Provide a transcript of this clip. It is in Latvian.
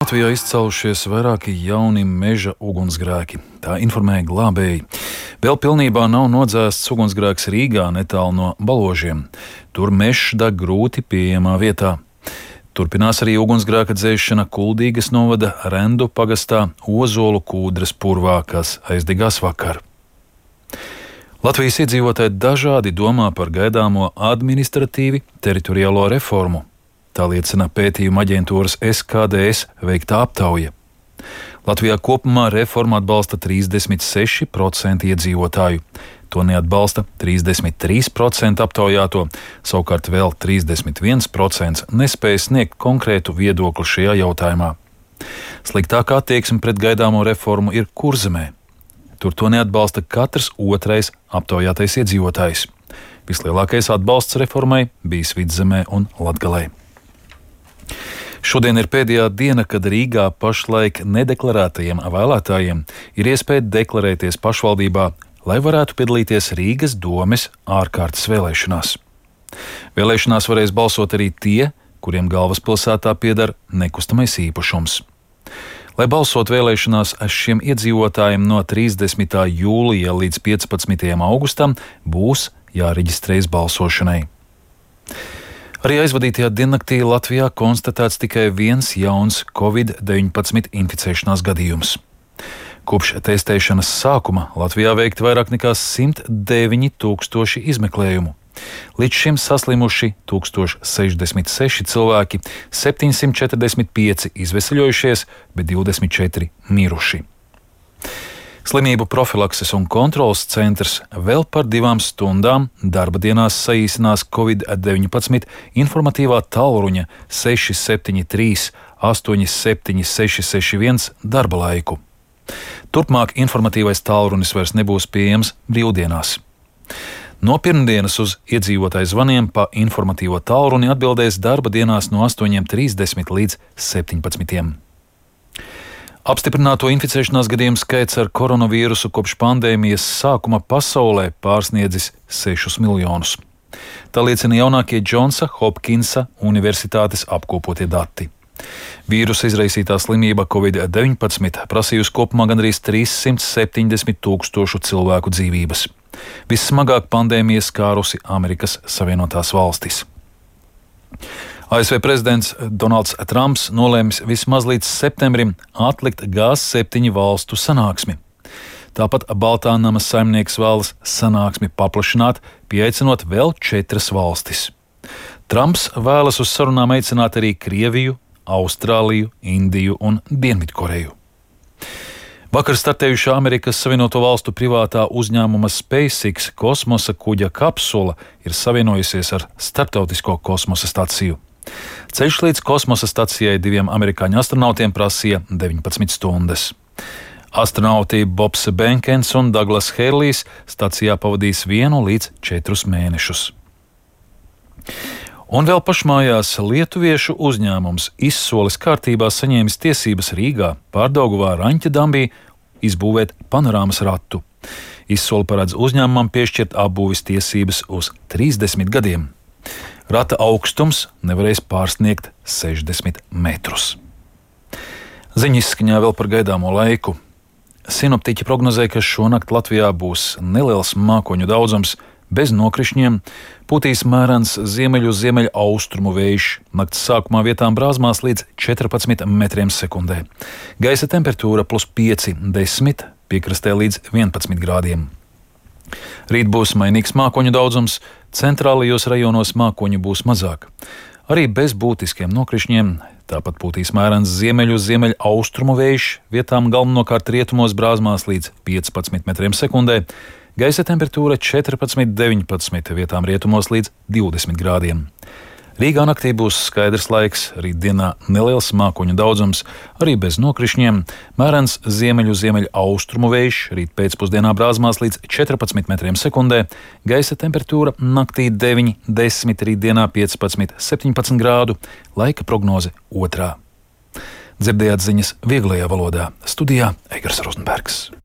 Latvijā izcēlušies vairāki jauni meža ugunsgrēki. Tā informēja glābēji. Vēl pilnībā nav nodzēsts ugunsgrēks Rīgā, netālu no Baložiem. Tur mežs deg grūti pieejamā vietā. Turpinās arī ugunsgrēka dzēšana Kuldīgas novada Rendu pagastā Ozolu Kūdras purvā, kas aizdegās vakar. Latvijas iedzīvotāji dažādi domā par gaidāmo administratīvi teritoriālo reformu. Tā liecina pētījuma aģentūras SKDS veiktā aptauja. Latvijā kopumā reformu atbalsta 36% iedzīvotāju. To neatbalsta 33% aptaujāto, savukārt vēl 31% nespēja sniegt konkrētu viedokli šajā jautājumā. Sliktākā attieksme pret gaidāmo reformu ir Kurzemē. Tur to neatbalsta katrs otrais aptaujātais iedzīvotājs. Vislielākais atbalsts reformai bijis Vidzemē un Latgalē. Šodien ir pēdējā diena, kad Rīgā pašlaik nedeklarētajiem vēlētājiem ir iespēja deklarēties pašvaldībā, lai varētu piedalīties Rīgas domes ārkārtas vēlēšanās. Vēlēšanās varēs balsot arī tie, kuriem galvaspilsētā pieder nekustamais īpašums. Lai balsot vēlēšanās šiem iedzīvotājiem no 30. jūlija līdz 15. augustam būs jāreģistrējas balsošanai. Arī aizvadītajā diennaktī Latvijā konstatēts tikai viens jauns Covid-19 inficēšanās gadījums. Kopš testēšanas sākuma Latvijā veikti vairāk nekā 109 000 izmeklējumu. Līdz šim saslimuši 1066 cilvēki, 745 izveseļojušies, bet 24 miruši. Slimību profilakses un kontroles centrs vēl par 2 stundām darba dienās saīsinās Covid-19 informatīvā tālruņa 673 87 661 darba laiku. Turpmāk informatīvais tālrunis vairs nebūs pieejams brīvdienās. No pirmdienas uz iedzīvotāju zvaniem pa informatīvo tālruni atbildēs darba dienās no 8:30 līdz 17. Apstiprināto inficēšanās gadījumu skaits ar koronavīrusu kopš pandēmijas sākuma pasaulē pārsniedzis 6 miljonus. Tā liecina jaunākie Džonsa Hopkinsa universitātes apkopotie dati. Vīrusa izraisītā slimība Covid-19 prasījusi kopumā gandrīz 370 000 cilvēku dzīvības. Vissmagāk pandēmija skārusi Amerikas Savienotās valstis. ASV prezidents Donalds Trumps nolēmis vismaz līdz septembrim atlikt G7 valstu sanāksmi. Tāpat Baltā nama saimnieks vēlas sanāksmi paplašināt, pieaicinot vēl 4 valstis. Trumps vēlas uz sarunām aicināt arī Krieviju, Austrāliju, Indiju un Dienvidkoreju. Vakar startējušā Amerikas Savienoto Valstu privātā uzņēmuma SpaceX kosmosa kuģa kapsula ir savienojusies ar starptautisko kosmosa staciju. Ceļš līdz kosmosa stacijai 2 amerikāņu astronautiem prasīja 19 stundas. Astronauti Bobs Benkens un Daglas Hērlijs stacijā pavadīs 1 līdz 4 mēnešus. Un vēl pašmājās lietuviešu uzņēmums Izsoles kārtībā saņēmis tiesības Rīgā, Pārdaugavā, Raņķa dambī izbūvēt panorāmas ratu. Izsole paredz uzņēmumam piešķirt apbūves tiesības uz 30 gadiem. Rata augstums nevarēs pārsniegt 60 metrus. Ziņas izskaņā vēl par gaidāmo laiku. Sinoptiķi prognozē, ka šonakt Latvijā būs neliels mākoņu daudzums, bez nokrišņiem, pūtīs mērens ziemeļu-ziemeļaustrumu vējš, nakts sākumā vietām brāzmās līdz 14 metriem sekundē. Gaisa temperatūra +5–10, piekrastē līdz 11 grādiem. Rīt būs mainīgs mākoņu daudzums, centrālajos rajonos mākoņu būs mazāk. Arī bez būtiskiem nokrišņiem, tāpat pūtīs mērens ziemeļu-ziemeļaustrumu vējš, vietām galvenokārt rietumos brāzmās līdz 15 metriem sekundē, gaisa temperatūra 14–19, vietām rietumos līdz 20 grādiem. Rīgā naktī būs skaidrs laiks, rītdienā neliels mākoņu daudzums, arī bez nokrišņiem, mērens ziemeļu-ziemeļaustrumu vējš, rīt pēcpusdienā brāzmās līdz 14 metriem sekundē, gaisa temperatūra naktī 9–10, rītdienā 15–17 grādu, laika prognoze 2. Dzirdējāt ziņas vieglajā valodā. Studijā Eigars Rozenbergs.